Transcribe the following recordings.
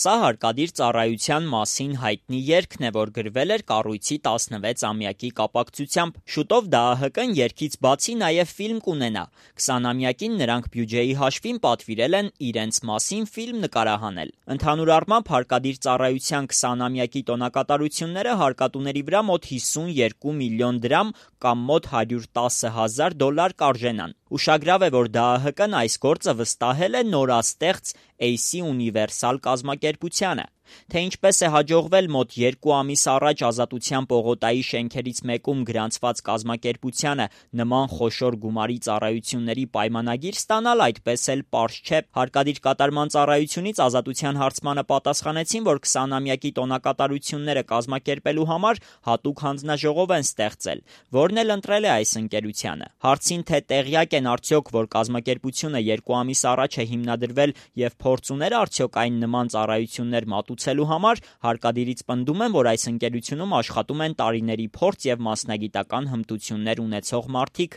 Սա հարկադիր ծառայության մասին հայտնի երգն է, որ գրվել էր կառույցի 16-ամյակի կապակցությամբ։ Շուտով ԴԱՀԿ-ն երգից բացի նաև ֆիլմ կունենա։ 20-ամյակին նրանք բյուջեի հաշվին պատվիրել են իրենց մասին ֆիլմ նկարահանել։ Ընդհանուր առմամբ հարկադիր ծառայության 20-ամյակի տոնակատարությունները հարկատուների վրա մոտ 52 միլիոն դրամ կամ մոտ $110,000 կարժենան։ Ուշագրավ է, որ ԴԱՀԿ-ն այս գործը վստահել է նորաստեղծ AC Universal կազմակերպությանը։ Թե ինչպես է հաջողվել մոտ 2 ամիս առաջ Ազատության պողոտայի շենքերից մեկում գրանցված կազմակերպությանը նման խոշոր գումարի ծառայությունների պայմանագիր ստանալ, այդպես էլ պարզ չէ։ Հարկադիր կատարման ծառայությունից Ազատության հարցմանը պատասխանեցին, որ 20-ամյակի տոնակատարությունները կազմակերպելու համար հատուկ հանձնաժողով են ստեղծել, որն էլ ընտրել է այս ընկերությանը։ Հարցին, թե տեղյակ են արդյոք, որ կազմակերպությունը 2 ամիս առաջ է հիմնադրվել եւ փորձ ուներ արդյոք այն նման ծառայություններ մատուցելու համար, հարկադիրից պնդում են, որ այս ընկերությունում աշխատում են տարիների փորձ եւ մասնագիտական հմտություններ ունեցող մարդիկ։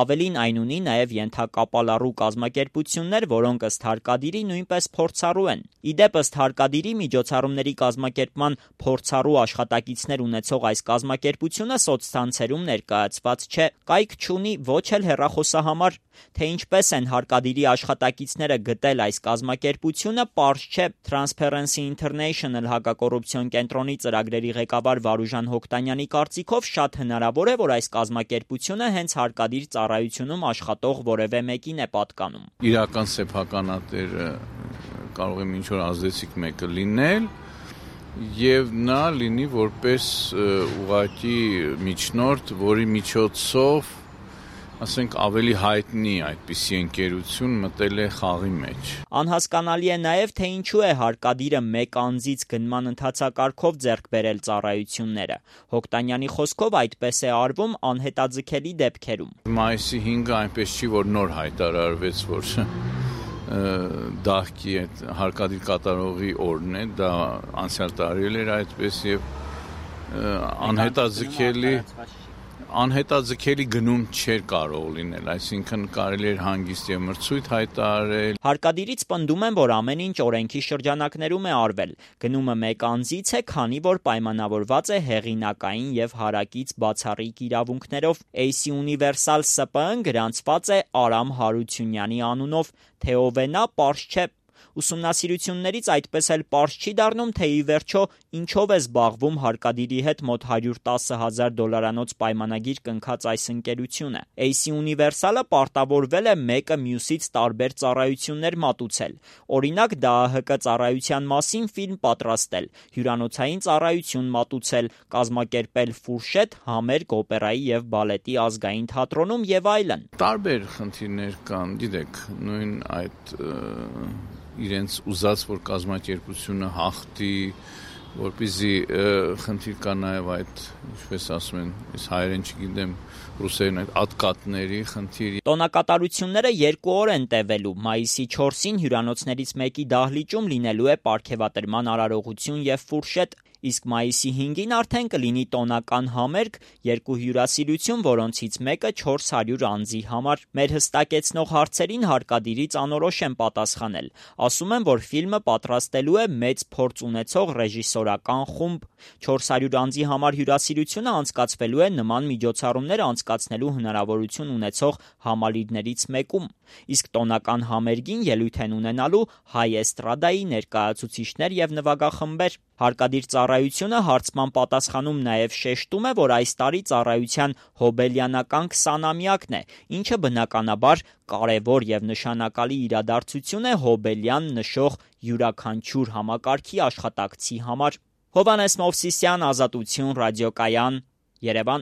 Ավելին, այն ունի նաեւ ենթակապալառու կազմակերպություններ, որոնք ըստ հարկադիրի նույնպես փորձառու են։ Իդեպ, ըստ հարկադիրի, միջոցառումների կազմակերպման փորձառու աշխատակիցներ ունեցող այս կազմակերպությունը սոցցանցերում ներկայացված չէ, կայք չունի ոչ էլ հեռախոսահամար։ Թե ինչպես են հարկադիրի աշխատակիցները գտել այս կազմակերպությունը, պարզ չէ։ Transparency International հակակոռուպցիոն կենտրոնի ծրագրերի ղեկավար Վարուժան Հոկտանյանի կարծիքով շատ հնարավոր է, որ այս կազմակերպությունը հենց հարկադիր ծառայությունում աշխատող որևէ մեկին է պատկանում։ Իրական սեփականատերը կարող է ինչ որ ազդեցիկ մեկը լինել եւ նա լինի որպես ուղղակի միջնորդ, որի միջոցով ասենք ավելի հայտնի այդպիսի ընկերություն մտել է խաղի մեջ։ Անհասկանալի է նաև, թե ինչու է հարկադիրը մեկ անձից գնման ընթացակարգով ձեռք բերել ծառայությունները։ Հոկտանյանի խոսքով այդպես է արվում անհետաձգելի դեպքերում։ Մայիսի 5-ը այնպես չի, որ նոր հայտարարվեց, որ դահքի այդ հարկադիր կատարողի օրն է, դա անցյալ տարի էր այդպես եւ անհետաձգելի գնում չէր կարող լինել, այսինքն կարելի էր հանգիստ եւ մրցույթ հայտարարել։ Հարկադիրից պնդում են, որ ամեն ինչ օրենքի շրջանակներում է արվել։ Գնումը մեկ անձից է, քանի որ պայմանավորված է հեղինակային եւ հարակից բացառիկ իրավունքներով։ AC Universal ՍՊԸ-ն գրանցված է Արամ Հարությունյանի անունով, թե ով է նա, պարզ չէ։ Ուսումնասիրություններից այդպես էլ պարզ չի դառնում, թե ի վերջո ինչով է զբաղվում հարկադիրի հետ մոտ $110,000 պայմանագիր կնքած այս ընկերությունը։ AC Universal-ը պարտավորվել է մեկը մյուսից տարբեր ծառայություններ մատուցել։ Օրինակ, ԴԱՀԿ ծառայության մասին ֆիլմ պատրաստել, հյուրանոցային ծառայություն մատուցել, կազմակերպել ֆուրշետ, համերգ օպերայի եւ բալետի ազգային թատրոնում եւ այլն։ Տարբեր խնդիրներ կան, գիտեք, նույն այդ իրենց ուզած որ կազմակերպությունը հաղթի, որպեսզի խնդիր կա նաև այդ, ինչպես ասում են, ես հայերեն չգիտեմ, ռուսերեն այդ ատկատների խնդիր։ Տոնակատարությունները 2 օր են տևելու։ Մայիսի 4-ին հյուրանոցներից մեկի դահլիճում լինելու է պարգևատրման արարողություն եւ ֆուրշետ, իսկ մայիսի 5-ին արդեն կլինի տոնական համերգ, 2 հյուրասիրություն, որոնցից մեկը 400 անձի համար։ Մեր հստակեցնող հարցերին հարկադիրից անորոշ են պատասխանել։ Ասում են, որ ֆիլմը պատրաստելու է մեծ փորձ ունեցող ռեժիսորական խումբ։ 400 անձի համար հյուրասիրությունը անցկացվելու է նման միջոցառումներ անցկացնելու հնարավորություն ունեցող համալիրներից մեկում, իսկ տոնական համերգին ելույթ են ունենալու հայ էստրադայի ներկայացուցիչներ եւ նվագախմբեր։ Հարկադիր ծառայությունը հարցման պատասխանում նաև շեշտում է, որ այս տարի ծառայության հոբելյանական 20-ամյակն է, ինչը բնականաբար կարևոր եւ նշանակալի իրադարձություն է հոբելյան նշող յուրաքանչյուր համակարգի աշխատակցի համար։ Հովհաննես Մովսիսյան, Ազատություն, Ռադիոկայան, Երևան։